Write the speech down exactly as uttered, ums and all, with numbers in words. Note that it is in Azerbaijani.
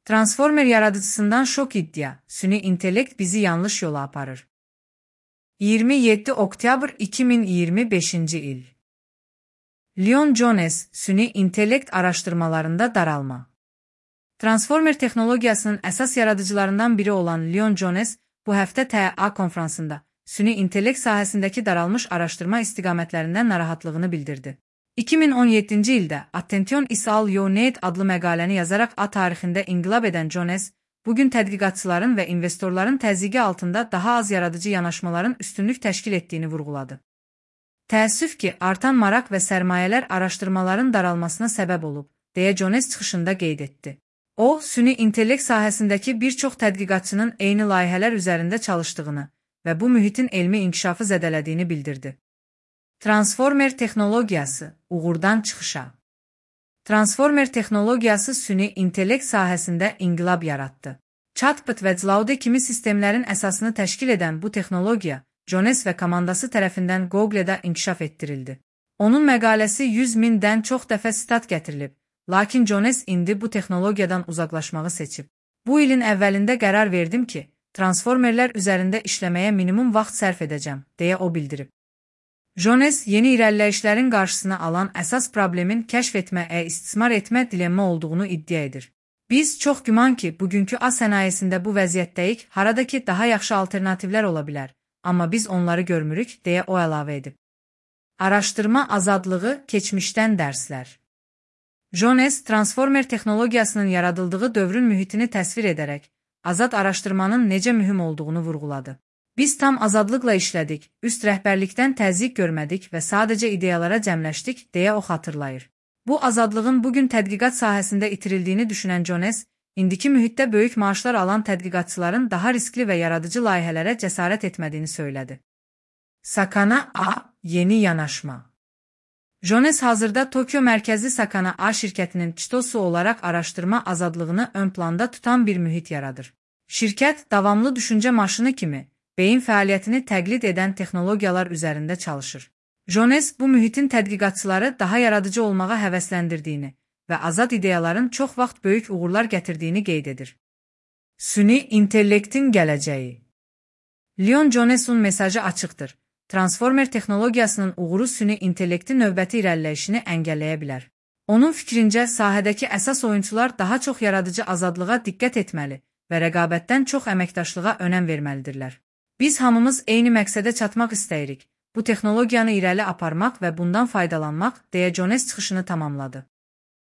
Transformer yaradıcısından şok iddia, süni intellekt bizi yanlış yola aparır. iyirmi yeddi oktyabr iki min iyirmi beşinci il. Leon Jones, süni intellekt araştırmalarında daralma. Transformer texnologiyasının əsas yaradıcılarından biri olan Leon Jones, bu həftə T A konfransında süni intellekt sahəsindəki daralmış araşdırma istiqamətlərindən narahatlığını bildirdi. iki min on yeddinci ildə Attention is all you need adlı məqaləni yazaraq A tarixində inqilab edən Jones, bugün tədqiqatçıların və investorların təzyiqi altında daha az yaradıcı yanaşmaların üstünlük təşkil etdiyini vurğuladı. Təəssüf ki, artan maraq və sərmayələr araşdırmaların daralmasına səbəb olub, deyə Jones çıxışında qeyd etdi. O, süni intellekt sahəsindəki bir çox tədqiqatçının eyni layihələr üzərində çalışdığını və bu mühitin elmi inkişafı zədələdiyini bildirdi. Transformer texnologiyası, uğurdan çıxışa. Transformer texnologiyası süni intellekt sahəsində inqilab yaratdı. Chatbot və Claude kimi sistemlərin əsasını təşkil edən bu texnologiya, Jones və komandası tərəfindən Google'da inkişaf etdirildi. Onun məqaləsi yüz mindən çox dəfə sitat gətirilib, lakin Jones indi bu texnologiyadan uzaqlaşmağı seçib. Bu ilin əvvəlində qərar verdim ki, transformerlər üzərində işləməyə minimum vaxt sərf edəcəm, deyə o bildirib. Jones, yeni irəliləyişlərin qarşısını alan əsas problemin kəşf etməyə istismar etmə dilemma olduğunu iddia edir. Biz çox güman ki, bugünkü A sənayesində bu vəziyyətdəyik, harada ki, daha yaxşı alternativlər ola bilər, amma biz onları görmürük, deyə o əlavə edib. Araşdırma azadlığı, keçmişdən dərslər. Jones, transformer texnologiyasının yaradıldığı dövrün mühitini təsvir edərək, azad araşdırmanın necə mühüm olduğunu vurğuladı. Biz tam azadlıqla işlədik, üst rəhbərlikdən təzyiq görmədik və sadəcə ideyalara cəmləşdik, deyə o xatırlayır. Bu azadlığın bugün tədqiqat sahəsində itirildiyini düşünən Jones, indiki mühitdə böyük maaşlar alan tədqiqatçıların daha riskli və yaradıcı layihələrə cəsarət etmədiyini söylədi. Sakana A. Yeni yanaşma. Jones hazırda Tokyo mərkəzli Sakana A şirkətinin çitosu olaraq araşdırma azadlığını ön planda tutan bir mühit yaradır. Şirkət, davamlı düşüncə maşını kimi, beyin fəaliyyətini təqlid edən texnologiyalar üzərində çalışır. Jones, bu mühitin tədqiqatçıları daha yaradıcı olmağa həvəsləndirdiyini və azad ideyaların çox vaxt böyük uğurlar gətirdiyini qeyd edir. Süni intellektin gələcəyi. Leon Jones'un mesajı açıqdır. Transformer texnologiyasının uğuru süni intellektin növbəti irəliləyişini əngəlləyə bilər. Onun fikrincə, sahədəki əsas oyunçular daha çox yaradıcı azadlığa diqqət etməli və rəqabətdən çox əməkdaşlığa önəm verməlidirlər. Biz hamımız eyni məqsədə çatmaq istəyirik, bu texnologiyanı irəli aparmaq və bundan faydalanmaq, deyə Jones çıxışını tamamladı.